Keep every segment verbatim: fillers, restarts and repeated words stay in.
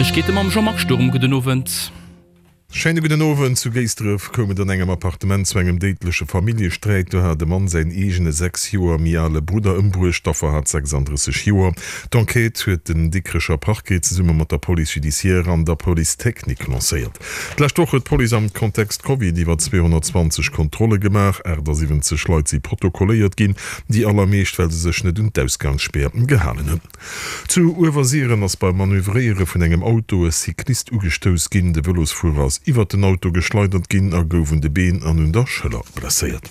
Neiegkeete mam Jean-Marc Sturm. Gudden Owend. Schéine gudden Owend. Zu Géisdref koum et an engem Appartement zu engem déidleche Familljesträit. Do hat e Mann säin eegene sechs Joer méi ale Brudder ëmbruecht. D'Affer hat sechsanddrësseg Joer. D'Enquête huet den Dikrecher Parquet zesumme mat der Police judiciaire an der Police technique lancéiert. D'lescht Woch huet d'Police am Kontext Covid iwwer zweehonnertzwanzeg Kontrolle gemaach. achtasiwwenzeg Leit si protokolléiert ginn, déi allermeescht well se sech net un d'Ausgangsspär gehalen hunn. Zu Uewersiren ass beim Manövréiere vun engem Auto e Cyclist ugestouss ginn. De Vëlosfuerer ass iwwert den Auto geschleidert ginn a gouf un de Been an un der Schëller blesséiert.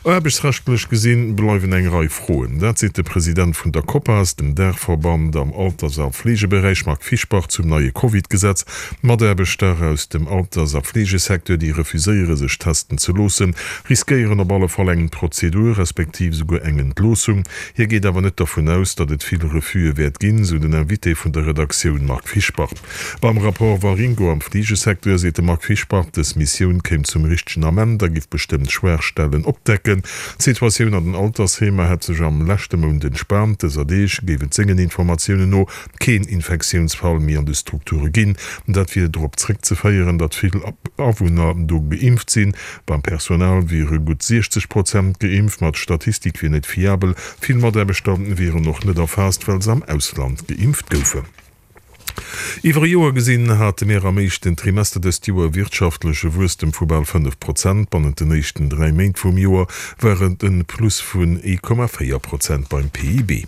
Aarbechtsrechtlech gesinn bleiwen eng Rei Froen. Dat seet de President vun der Copas, dem Daachverband am Alters a Fleegeberäich, Marc Fischbach, zum neie Covid-Gesetz. Mataarbechter aus dem Alters a Fleegesecteur, déi refuséiere sech testen ze loossen, riskéieren op alle Fall eng Prozedur, respektiv souguer eng Entloossung. Hie geet awer net dervun aus, datt et vill Refuse wäert ginn, sou den Invité vun der Redaktioun Marc Fischbach. Beim Rapport Waringo am Fleegesecteur seet de Marc Fischbach, dës Missioun kéim zum richtegen Ament a giff bestëmmt Schwaachstellen opdecken. D'Situatioun an den Altersheemer hätt sech am leschte Mount entspaant. Dëser Deeg géif et sengen Informatiounen no keen Infektiounsfall méi an de Strukture ginn. Dat wier dorop zréckzeféieren, datt vill Awunner do geimpft sinn. Beim Personal wiere gutt siechzeg Prozent geimpft, ma d'Statistik wier net fiabel. Vill Mataarbechter wieren och net erfaasst, well se am Ausland geimpft goufen. Iwwer e Joer gesinn hate mir am éischten Trimester dëst Joer e wirtschaftleche Wuesstem vu bal fënnef Prozent. Bannent den éischten dräi Méint vum Joer war et en Plus vun ee Komma véier Prozent beim P I B.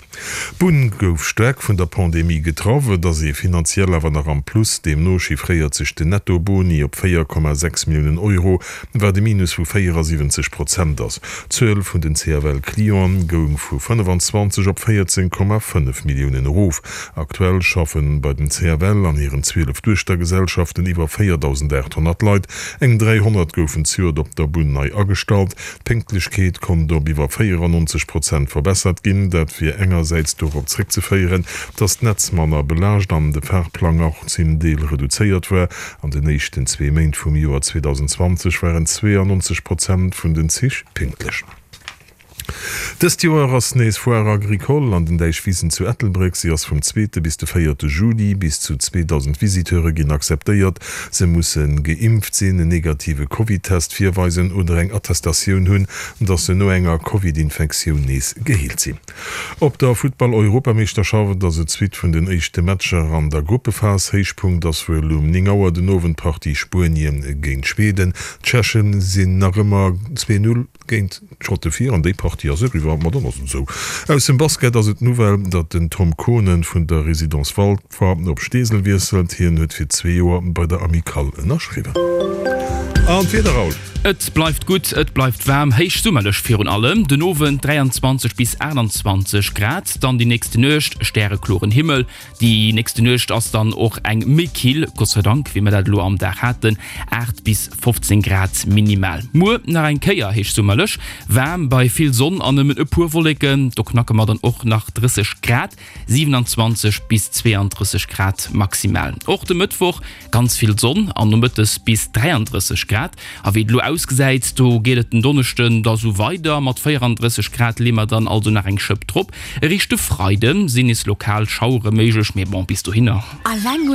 D'Bunn gouf staark vun der Pandemie getraff. Et ass ee finanziell awer nach am Plus. Deemno chiffréiert sech den Netto-Boni op véier Komma sechs Milliounen Euro, wat e Minus vu véierasiwwenzeg Prozent ass. D'Zuel vun den C F L-Clienten goung vu fënnefanzwanzeg op véierzéng Komma fënnef Milliounen erof. Aktuell schaffe bei den C F L an hiren zwielef Duechtergesellschaften iwwer véierdausendaathonnert Leit. Eng dräihonnert goufen zejoert op der Bunn nei agestallt. D'Pénktlechkeet konnt op iwwer véierannonzeg Prozent verbessert ginn. Dat wier engersäits dorop zréckzeféieren, datt d'Netz manner belaascht an de Fahrplang och zum Deel reduzéiert war. An den éischten zwee Méint vum Joer zweedausendenzwanzeg waren zweeannonzeg Prozent vun den Zich pünktlech. Dëst Joer ass nees Foire Agricole an den Däichwisen zu Ettelbréck. Si ass vum zweete bis de véierte Juli. Bis zu zweedausend Visiteure ginn akzeptéiert. Se musse geimpft sinn, en negative Covid-Test virweisen oder eng Attestatioun hunn, datt se no enger Covid-Infektioun nees geheelt sinn. Op der Futtball-Europameeschterschaft ass et d'Suite vun den éischte Matcher an der Gruppephas. Héichpunkt ass wuel um néng Auer den Owend d'Partie Spuenien géint Schweden. D'Tschechen sinn nach ëmmer zwee Null géint d'Schotte vir an déi Partie ass eriwwer. Ma dann ass et esou. Aus dem Basket ass et d'Nouvelle, datt den Tom Kohnen vun der Résidence Walfer op Steesel wiesselt. Hien huet fir zwee Joer bei der Amicale ënnerschriwwen. An d'Wieder, Raoul? Et bleift gutt, et bleift waarm, héichsummerlech virun allem. Den Owend dräianzwanzeg bis aachtanzwanzeg Grad, dann déi nächste Nuecht stärekloren Himmel. Déi nächste Nuecht ass dann och eng méi kill, Gott sei Dank, wéi mer dat elo am Dag haten, aacht bis fofzéng Grad minimal. Muer nach eng Kéier héichsummerlech waarm bei vill Sonn an nëmmen e puer Wolleken, do knacke mer dann och nach drësseg Grad, siwenanzwanzeg bis zweeandrësseg Grad maximal. Och de Mëttwoch ganz vill Sonn an nomëttes bis dräiandrësseg Grad. A wéi et elo ausgesäit, do geet et den Donneschden da sou weider, mat véierandrësseg Grad leeë mer dann also nach eng Schëpp drop. Eréischt de Freide sinn nees lokal Schauere méiglech, mee bon, bis dohinner. Alleng un.